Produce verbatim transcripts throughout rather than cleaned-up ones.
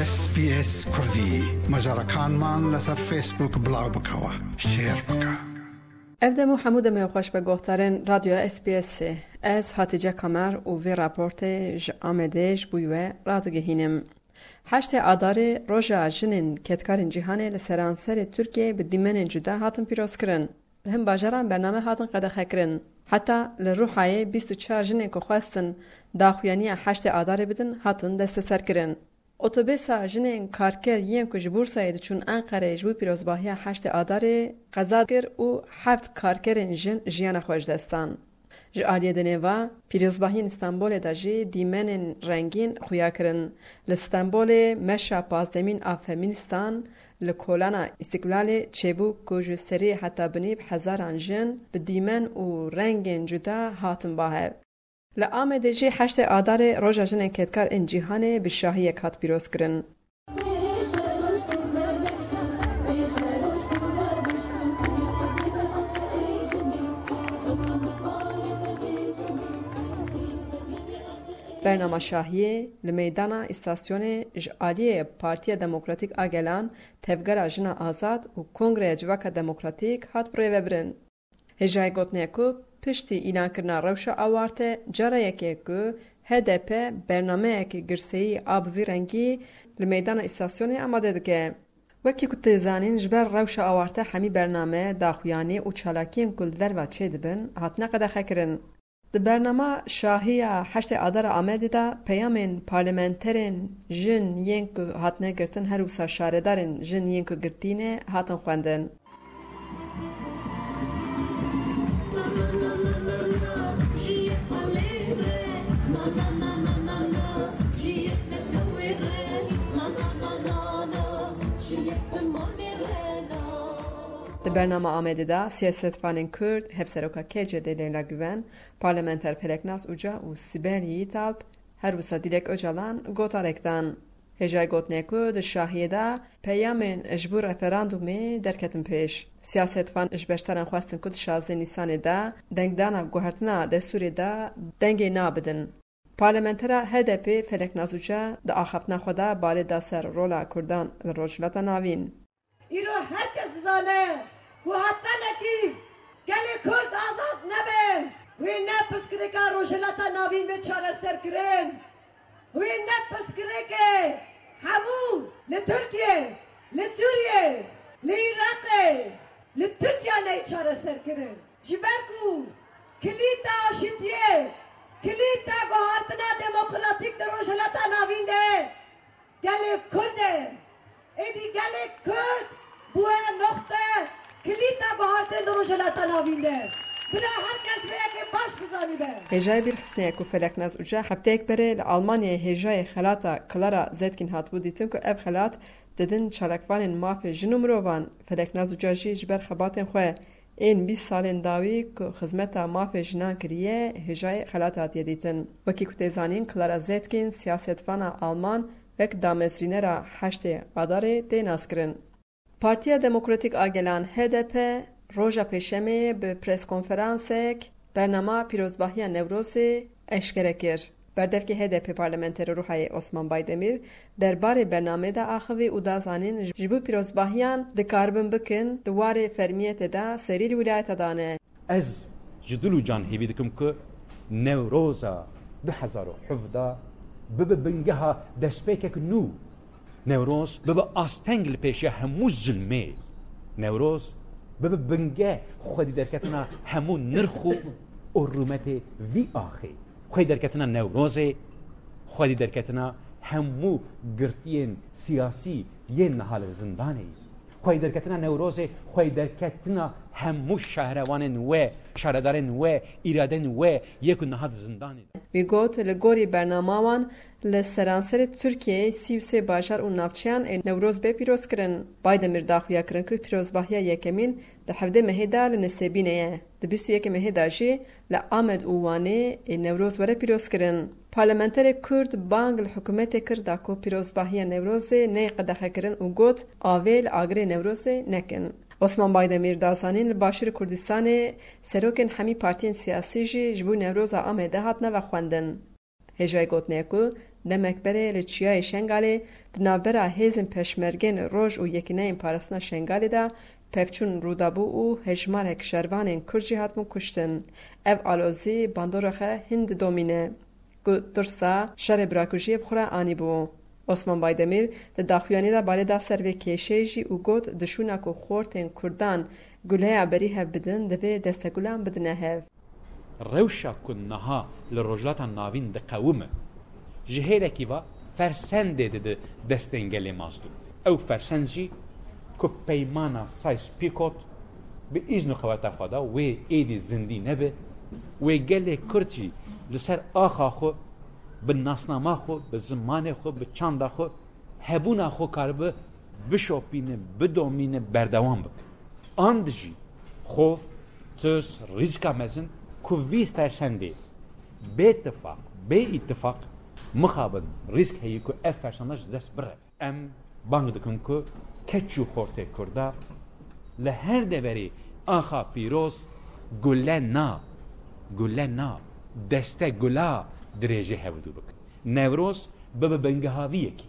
S B S Kurdî. Macarekanman li ser Facebook bilaw bikewe. Share bike. Ev dem û hemû demê xweş be guhdarên Radyoya S B S ê. Ez Hatice Kamer û vê raportê ji Amedê ji bo we radigihînim. Heştê Adarê roja jinên kedkarên cîhanê li seranserê Tirkiyeyê bi dîmenên cuda hatin pîrozkirin. Li hin bajaran bername hatin qedexekirin. Heta li Rûhayê bîst û çar jinên ku xwestin daxuyaniya heştê Adarê bidin, hatin desteserkirin. Otobêsa jinên karker yên ku ji Bursayê diçûn Enqereyê ji bo pîrozbahiya heştê Adarê qeza kir û heft karkerên jin jiyana xwe ji dest dan. Ji aliyê dinê ve, pîrozbahiyên Stenbolê de jî dîmenên rengîn xuya kirin. Li Stenbolê meşa pazdemîn a Femînistan li Kolana Îstîklalê çêbû ku ji serî heta binî bi hezaran jin bi dîmen û rengên cuda hatin ba hev. Li Amedê jî heştê Adarê Roja Jinên Kedkar ên Cîhanê bi şahiyek hat pîrozkirin. Bernama şahiyê li meydana îstasyonê ji aliyê Partiya Demokratîk a Gelan, Tevgera Jina Azad û Kongreya Civaka Demokratîk hat birêvebirin. Hêjayê gotinê ku piştî îlankirina rewşa awarte, cara yekê ku H D P bernameyeke girseyî a bi vî rengî li meydana îstasyonê amade dike. Wekî ku tê zanîn, ji ber rewşa awarte hemî bername, daxuyanî û çalakiyên ku li derve çêdibin, hatine qedexekirin. Di bernama şahiya heştê Adara Amedê de peyamên parlamenterên jin yên ku hatine girtin, her wisa şaredarên jin yên ku girtî ne, hatin xwendin. Di bernama Amedê de siyasetvanên Kurd, Hevseroka K C D Leyla Güven, parlamenter Feleknaz Uca û Sibel Yiğitalp, her wisa Dilek Ocalan gotarek dan. Hêjayê gotinê ku di şahiyê de peyamên ji bo referandumê derketin pêş. Siyasetvan ji beşdaran xwestin ku di şazdeh Nîsanê de dengdana guhertina destûrê de dengê nabidin. Parlamentera H D P Feleknaz Uca di axaftina xwe de balê da ser rola Kurdan li Rojhilata Navîn. Îro her kes dizane ku hetanekî gelê Kurd azad nebe, wê ne pirsgirêka Rojhilata Navîn bê çareserkirin. Wê ne pirsgirêkê hemû li Tirkiye, li Sûriye, li Iraqê, li Tirkiye neyê çareserkirin. Ji ber ku kilîta aşitiyê, kilîta guhartina demokratîk di Rojhilata Navîn de gelê Kurd e. Êdî gelê Kurd bûye noxte kilîta guhartên di Rojhilata Navîn de. Bila her kes vê yekê baş bizanîbe. Hêjayê bîrxistinê ye ku Feleknaz Uca hefteyek berê li Almanyayê hêjayê xelata Clara Zetkin hatibû dîtin ku ev xelat didin çalakvanên mafê jin û mirovan. Feleknaz Uca jî ji ber xebatên xwe ên bîst salên dawî ku xizmeta mafê jinan kiriye, hêjayê xelat hatiye dîtin. Wekî ku tê zanîn, Clara Zetkin siyasetvana Alman wek damezrînera heştê Adarê tê naskirin. Partiya Demokratîk a Gelan, H D P, roja Pêşemê bi preskonferansek bernama pîrozbahiya Newrozê eşkere kir. Berdevkê H D P parlamenterê Ruhayê Osman Baydemîr derbarê bernamê de axivî û da zanîn, ji bo pîrozbahiyan dikaribin bikin, di warê fermiyetê de serî li wîlayeta dane. Ez ji dil û can hêvî dikim ku Newroza du hezar û hevdeh bibe bingeha destpêkek nû. Newroz bibe asteng li pêşiya hemû zilmê. Newroz bibe binge xwedî derketina hemû nirx û, û rûmetê vî axê. Xwedî derketina Newrozê, xwedî derketina hemû girtiyên siyasî yên niha li zindanê ye. Xwedî derketina Newrozê, xwedî derketina hemû şehrewanên we, şaredarên we, îradên we yê ku niha di zindanê ne. Wî got, li gorî bernama wan, li seranserê Tirkiyeyê sî û sê bajar û navçeyan ê Newroz bê pîrozkirin. Baydemîr daxuya kirin ku pîrozbahiya yekemîn di hevdê mehê de li Nisêbînê ye. Di bîst û yekê mehê de jî li Amed û Wanê ê Newroz were pîrozkirin. Parlamenterê Kurd bang li hikûmetê kir da ku pîrozbahiya Newrozê neyê qedexekirin û got, avê li agirê Newrozê nekin. Osman Baydemîr da zanîn, li Başûrê Kurdistanê serokên hemî partiyên siyasî jî ji bo Newroza Amedê hatine vexwendin. Hêjayê gotinê ye ku Demek berê li Çiyayê Şengalê di navbera hêzên Peşmergên Roj û Yekîneyên Parastina Şengalê de pevçûn rûdabû û hejmarek şervanên Kurd jî hatibûn kuştin. Ev alozî bandora xwe hîn didomîne ku tirsa şerê birakujiyê bi xwe re anîbû. Osman Baydemîr di daxuyaniyê de balê da ser vê kêşeyê jî û got, di şûna ku xortên Kurdan guleya berî hev bidin, divê destegulan bidine hev. Rewşa ku niha li Rojhilata Navîn diqewime, ji hêlekî ve fersendê dide destên gelê Mazlûm. Ew fersend jî ku peymana Sykes-Picot bi îzn û qeweta xwe de wê êdî zindî nebe, wê gelê Kurd jî li ser axa xwe, bi nasnama xwe, bi zimanê xwe, bi çanda xwe, hebûna xwe karibe bişopîne, bidomîne, berdewam bike. An dijî xof, tirs, rîzika mezin ku vî fersendê bê tifaq, bê îtifaq mixabin rîsk heye ku ev fersenda ji dest bireve. Em bang dikin ku keç û xortê Kurda li her deverê axa pîroz gule na, gule na, deste gula dirêjê hevdû bikin. Newroz bibe bingeha vî yekê.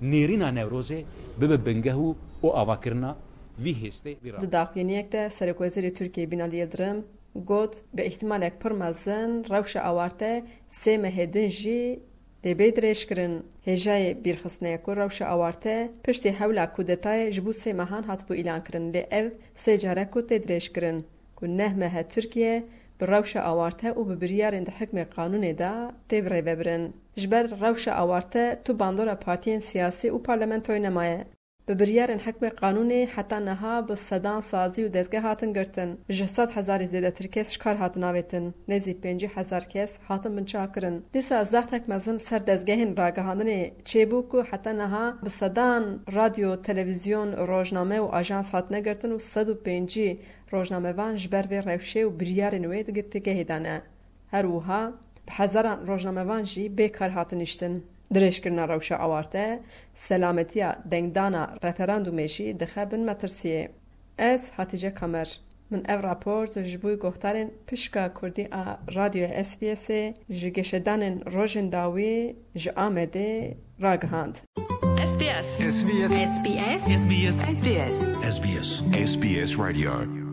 Nêrîna Newrozê bibe bingeh û û avakirina vî hêstê, vî ra. Di daxuyaniyek de Serokwezîrê Tirkiyê Binali Yildirim got, bi îhtimalek pir mezin rewşa awarte sê mehê din jî dê bê dirêjkirin. Hêjayê bîrxistinê ye ku rewşa awarte piştî hewla kudetayê ji bo sê mehan hatibû îlankirin, lê ev sê car e ku tê dirêjkirin ku neh meh e Tirkiye bi rewşa awarte û bi biryarên di hikmê qanûnê de tê birêvebirin. Ji ber rewşa awarte tu bandora partiyên siyasî û parlamentoyê nemaye. Bi biryarên hikmê qanûnê heta niha bi sedan sazî û dezgeh hatin girtin. Ji sed hezarî zêdetir kes ji kar hatin avêtin. Nêzî pêncî hezar kes hatin binçavkirin. Dîsa zextek mezin ser dezgehên ragihandinê çêbû ku heta niha bi sedan radyo, televîzyon, rojname û ajans hatine girtin û sed û pêncî rojnamevan ji ber vê rewşê û biryarên wê di girtîgehê de ne. Her wiha bi hezaran rojnamevan jî bê kar hatin niştin. Dirêjkirina rewşa awarte, selametiya dengdana referandumê jî dixe bin metirsiyê. Ez Hatîce Kamer. Min ev raport ji bo guhdarên pişka kurdî a Radyoya S B Sê ji geşedanên rojên dawî ji Amedê ragihand. S B S. S B S. S B S. S B S. S B S. S B S. S B S. S B S. S B S Radio.